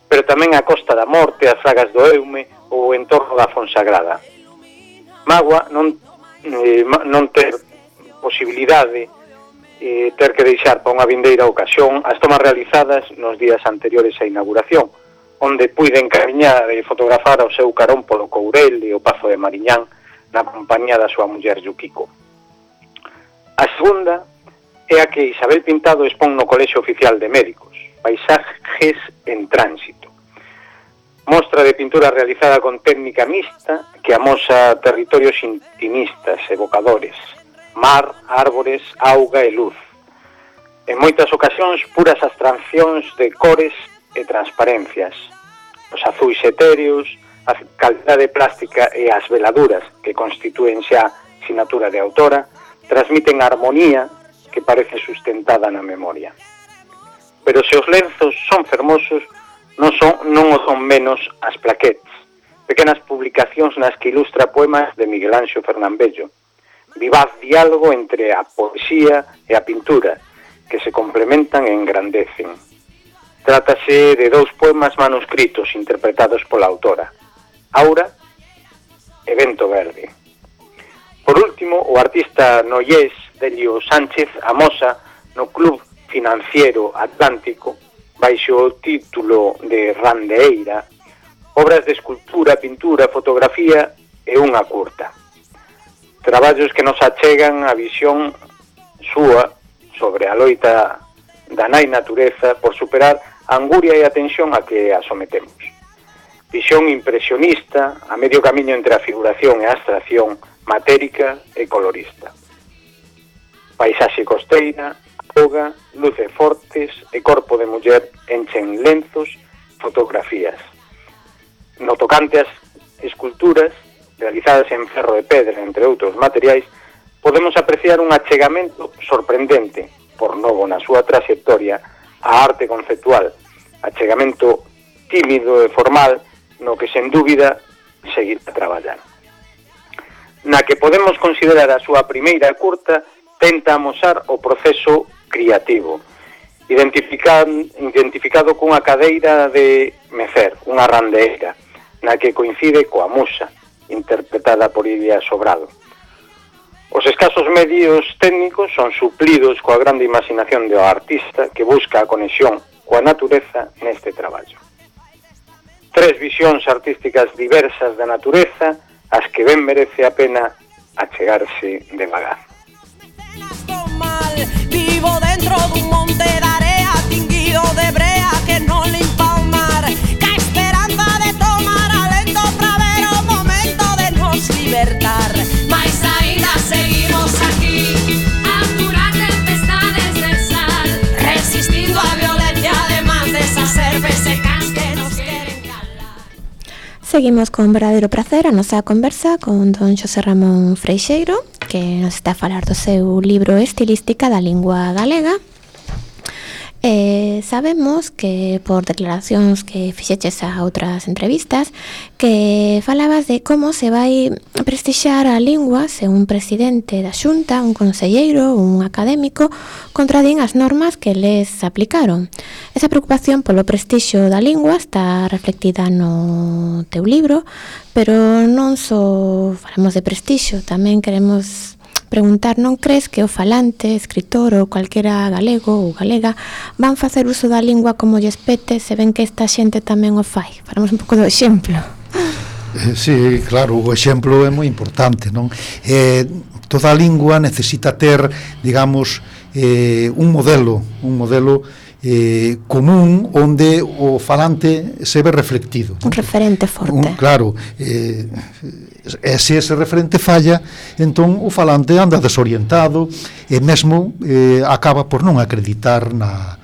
pero tamén a Costa da Morte, as Fragas do Eume ou o entorno da Fonsagrada. Mágoa non ter posibilidade ter que deixar para unha vindeira ocasión as tomas realizadas nos días anteriores á inauguración, onde puiden camiñar e fotografar ao seu carón polo Courel e o Pazo de Mariñán na compañía da súa muller Yukiko. A segunda é a que Isabel Pintado expón no Colexio Oficial de Médicos, Paisajes en Tránsito. Mostra de pintura realizada con técnica mixta que amosa territorios intimistas, evocadores, mar, árbores, auga e luz. En moitas ocasións, puras abstraccións de cores e transparencias. Os azuis etéreos, a calidade plástica e as veladuras que constitúen xa sinatura de autora transmiten armonía que parece sustentada na memoria. Pero se os lenzos son fermosos, non o son menos as plaquetes, pequenas publicacións nas que ilustra poemas de Miguel Anxo Fernambello, vivaz diálogo entre a poesía e a pintura, que se complementan e engrandecen. Trátase de 2 poemas manuscritos interpretados pola autora, Aura e Vento Verde. Por último, o artista noiés Delio Sánchez amosa no Club Financiero Atlántico, baixo o título de Randeeira, obras de escultura, pintura, fotografía e unha curta. Traballos que nos achegan a visión súa sobre a loita da nai natureza por superar a anguria e a tensión a que a sometemos. Visión impresionista, a medio camiño entre a figuración e a abstracción, matérica e colorista. Paisaxe costeira, auga, luces fortes e corpo de muller enchen lenzos, fotografías. No tocante as esculturas, realizadas en ferro e pedra, entre outros materiais, podemos apreciar un achegamento sorprendente, por novo na súa trayectoria, a arte conceptual, achegamento tímido e formal, no que sen dúbida seguir a traballar. Na que podemos considerar a súa primeira curta, tenta amosar o proceso creativo, identificado cunha cadeira de mecer, unha randeeira, na que coincide coa musa, interpretada por Iria Sobrado. Os escasos medios técnicos son suplidos coa grande imaginación do artista que busca a conexión coa natureza neste traballo. 3 visións artísticas diversas da natureza, as que ben merece a pena achegarse devagar.
Vivo dentro dun monte de area tinguido de brea que non limpa o mar, ca esperanza de tomar alento pra ver o momento de nos libertar. Mais ainda seguimos aquí a curar tempestades de sal, resistindo a violencia además de esas herbes secas que nos queren calar.
Seguimos con verdadeiro pracer a nosa conversa con don Xosé Ramón Freixeiro, que nos está a falar do seu libro Estilística da Lingua Galega. Sabemos que por declaracións que fixeches a outras entrevistas que falabas de como se vai prestixiar a lingua se un presidente da Xunta, un conselleiro, un académico contradín as normas que les aplicaron. Esa preocupación polo prestixio da lingua está reflectida no teu libro, pero non só falamos de prestixio, tamén queremos preguntar, non crees que o falante, escritor ou calquera galego ou galega van facer uso da lingua como lles pete se ven que esta xente tamén o fai? Falamos un pouco do exemplo.
Sí, claro, o exemplo é moi importante, non? Toda a lingua necesita ter, digamos, un modelo común onde o falante se ve reflectido.
Un referente forte.
Claro, se ese referente falla, entón o falante anda desorientado e mesmo acaba por non acreditar na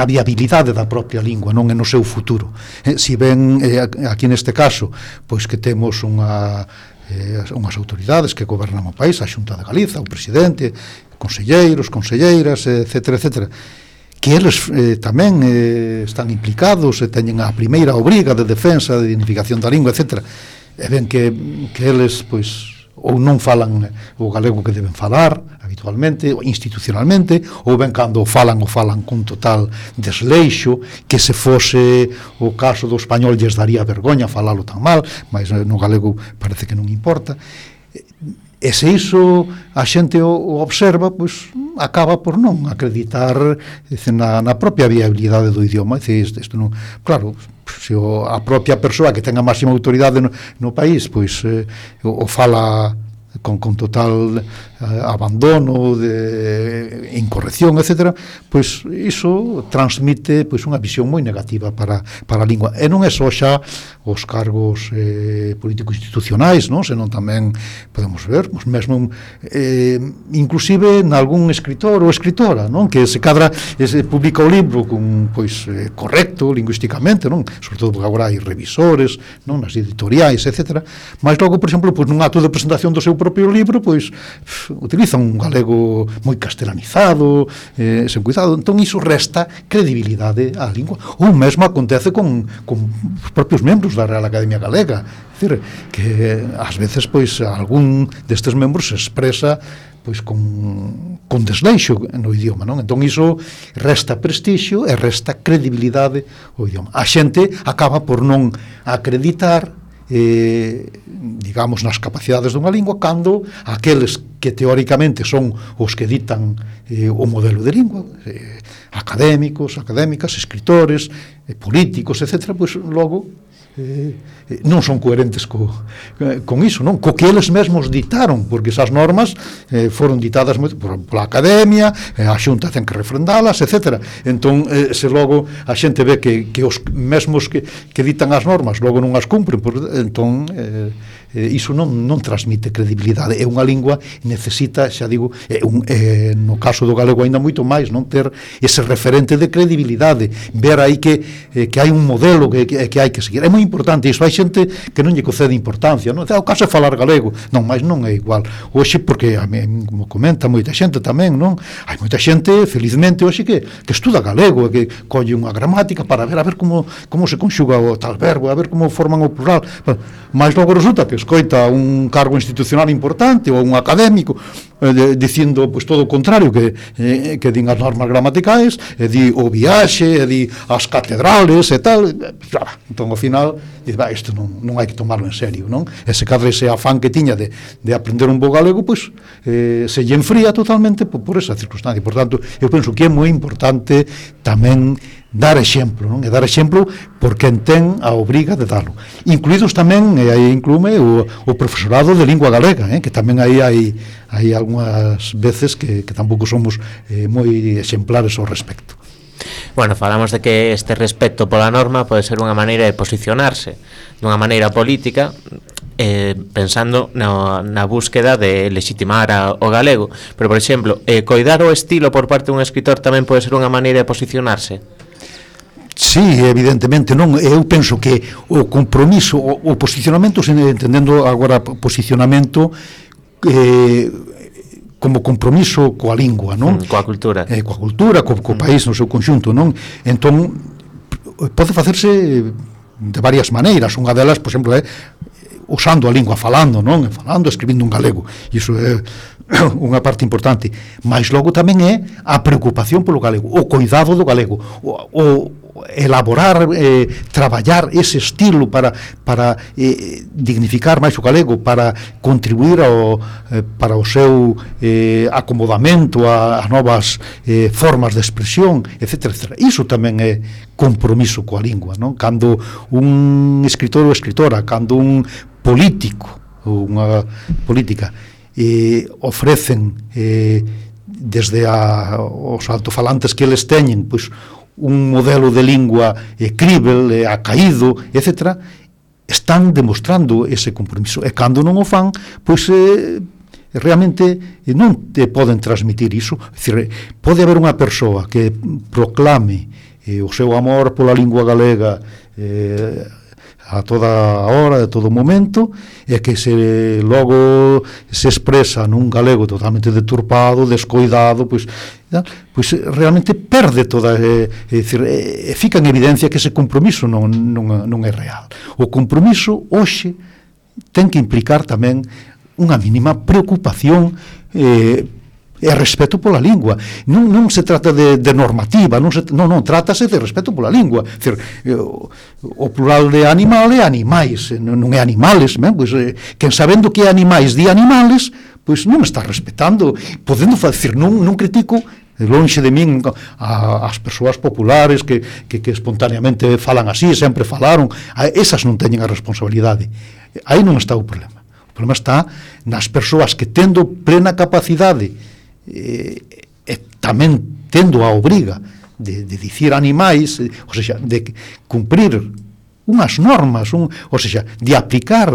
viabilidade da propia lingua, non no seu futuro. Si ben aquí neste caso, pois que temos unhas autoridades que gobernan o país, a Xunta de Galiza, o presidente, conselleiros, conselleiras, etcétera, etcétera, que eles tamén están implicados e teñen a primeira obriga de defensa, de dignificación da lingua, etcétera. E ben que eles, pois, ou non falan o galego que deben falar habitualmente, ou institucionalmente, ou ben cando o falan con total desleixo, que se fose o caso do español lles daría vergoña falalo tan mal, mas no galego parece que non importa. E se iso a xente o observa, pois acaba por non acreditar na propia viabilidade do idioma. Isto non, claro, se a propia persoa que ten a máxima autoridade no país, pois o fala con total abandono, de incorrección, etc., pois iso transmite pois unha visión moi negativa para a lingua. E non é só xa os cargos políticos institucionais, non? Senón tamén podemos ver, pois mesmo inclusive nalgún escritor ou escritora, non? Que se cadra publica o libro con pois correcto lingüísticamente, non? Sobre todo porque agora hai revisores, non? Nas editoriais, etc. Mas logo, por exemplo, pois nun acto de presentación do seu propio libro, pois utilizan un galego moi castelanizado, sen cuidado. Entón iso resta credibilidade á lingua. Ou mesmo acontece con os propios membros da Real Academia Galega. É dicir, que ás veces pois algún destes membros se expresa pois con desleixo no idioma, non? Entón iso resta prestixio e resta credibilidade ao idioma. A xente acaba por non acreditar digamos nas capacidades dunha lingua cando aqueles que teóricamente son os que ditan o modelo de lingua, académicos, académicas, escritores, políticos, etc., pois logo non son coherentes con iso, non? Co que eles mesmos ditaron, porque esas normas foron ditadas pola Academia, a Xunta ten que refrendalas, etc. Entón, se logo a xente ve que os mesmos que ditan as normas logo non as cumpren, entón iso non transmite credibilidade. É unha lingua necesita, xa digo, no caso do galego ainda moito máis, non ter ese referente de credibilidade, ver aí que hai un modelo que hai que seguir. É moi importante iso. Hai xente que non lle concede importancia, non? O caso é falar galego. Non, mas non é igual. Hoxe, porque como comenta moita xente tamén, non? Hai moita xente, felizmente, hoxe que estuda galego, que colle unha gramática para ver como se conxuga o tal verbo, a ver como forman o plural. Mas logo resulta que escoita un cargo institucional importante ou un académico dicindo pois todo o contrario que din as normas gramaticais, e di o viaxe, e di as catedrales e tal. Entón ao final isto non hai que tomarlo en serio, non? E se cadra ese afán que tiña de aprender un bo galego, pois se lle enfría totalmente por esa circunstancia. Por tanto, eu penso que é moi importante tamén dar exemplo, non? E dar exemplo por quen ten a obriga de darlo. Incluídos tamén, e aí inclúme o profesorado de lingua galega, que tamén aí hai algunhas veces que tampouco somos moi exemplares ao respecto.
Bueno, falamos de que este respeto pola norma pode ser unha maneira de posicionarse dunha maneira política, pensando na búsqueda de legitimar o galego, pero, por exemplo, coidar o estilo por parte dun escritor tamén pode ser unha maneira de posicionarse.
Sí, evidentemente, non. Eu penso que o compromiso, o posicionamento, entendendo agora posicionamento como compromiso coa lingua, non?
Coa cultura.
Coa cultura, co país no seu conxunto, non? Entón, pode facerse de varias maneiras. Unha delas, por exemplo, é usando a lingua, falando, non? Falando, escribindo en galego. Iso é unha parte importante. Mas logo tamén é a preocupación polo galego, o cuidado do galego, o elaborar, traballar ese estilo para dignificar máis o galego, para contribuir para o seu acomodamento a novas formas de expresión, etc. Iso tamén é compromiso coa lingua, non? Cando un escritor ou escritora, cando un político ou unha política ofrecen desde os altofalantes que eles teñen, pois un modelo de lingua crível, acaído, etc., están demostrando ese compromiso. E cando non o fan, pois realmente non te poden transmitir iso. É dicir, pode haber unha persoa que proclame o seu amor pola lingua galega a toda hora, a todo momento, e que logo se expresa nun galego totalmente deturpado, descoidado, pois realmente perde toda, fica en evidencia que ese compromiso non é real. O compromiso hoxe ten que implicar tamén unha mínima preocupación e respeto pola lingua. Non se trata de normativa, non, trátase de respeto pola lingua. Decir, o plural de animal é animais, non é animales, pois, quen sabendo que é animais di animales, pois non está respetando, podendo facer, non critico lonxe de min as persoas populares que espontaneamente falan así, sempre falaron, esas non teñen a responsabilidade. Aí non está o problema. O problema está nas persoas que tendo plena capacidade e tamén tendo a obriga de dicir animais, ou seja, de cumprir unhas normas, ou seja, de aplicar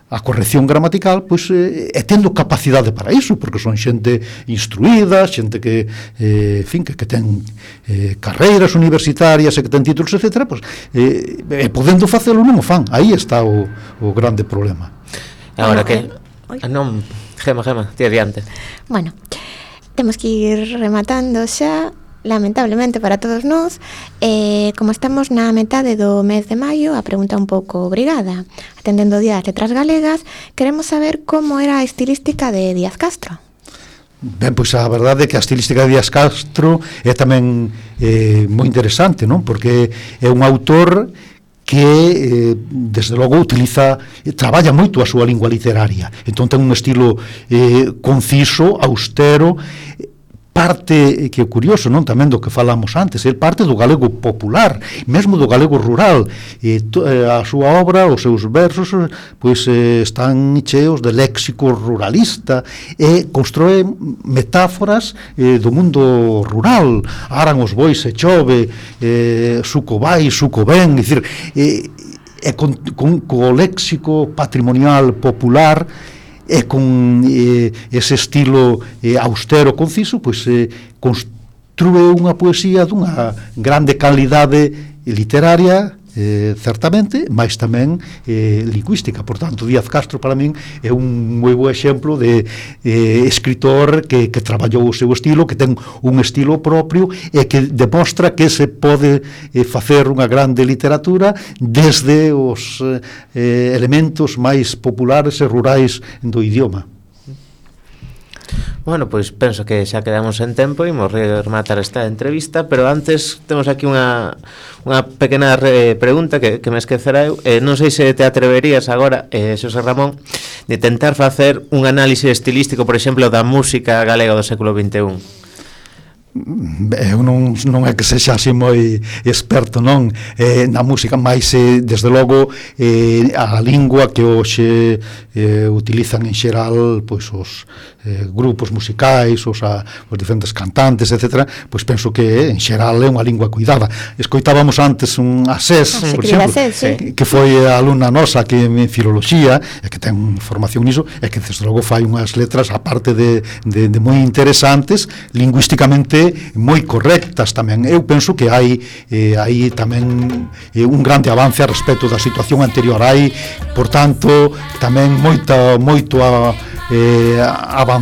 a corrección gramatical, pois e tendo capacidade para iso, porque son xente instruída, xente que fin, que ten carreiras universitarias e que ten títulos, etc., pois, podendo facelo non o fan. Aí está o grande problema.
Agora que non, Gema, ti adiante.
Bueno, temos que ir rematando xa, lamentablemente para todos nós. Como estamos na metade do mes de maio, a pregunta un pouco obrigada. Atendendo o Día das Letras Galegas, queremos saber como era a estilística de Díaz Castro.
Ben, pois a verdade é que a estilística de Díaz Castro é tamén moi interesante, non? Porque é un autor que desde logo traballa moito a súa lingua literaria, entón ten un estilo conciso, austero, parte que é curioso, non, tamén do que falamos antes, é parte do galego popular, mesmo do galego rural, a súa obra, os seus versos, pois están cheos de léxico ruralista e constróe metáforas do mundo rural. Aran os bois se chove, suco vai, suco ven, dicir, co léxico patrimonial popular e con ese estilo austero, conciso, pois construe unha poesía dunha grande calidade literaria, certamente, mas tamén lingüística. Por tanto, Díaz Castro para min é un moi bo exemplo de escritor que traballou o seu estilo, que ten un estilo propio e que demostra que se pode facer unha grande literatura desde os elementos máis populares e rurais do idioma.
Bueno, pois penso que xa quedamos en tempo e imos rematar esta entrevista, pero antes temos aquí unha pequena pregunta que me esquecerá eu. Non sei se te atreverías agora, Xosé Ramón, de tentar facer un análise estilístico, por exemplo, da música galega do século XXI.
Eu non é que sexa así moi experto, non, na música, mas desde logo a lingua que hoxe utilizan en xeral pois os grupos musicais, os diferentes cantantes, etc., pois penso que en xeral é unha lingua cuidada. Escoitábamos antes a Sés, por exemplo, que foi a alumna nosa que en filoloxía, e que ten formación niso, e que desde logo fai unhas letras, aparte de moi interesantes, lingüísticamente moi correctas tamén. Eu penso que hai tamén un grande avance a respecto da situación anterior. Hai, por tanto, tamén moito avanzado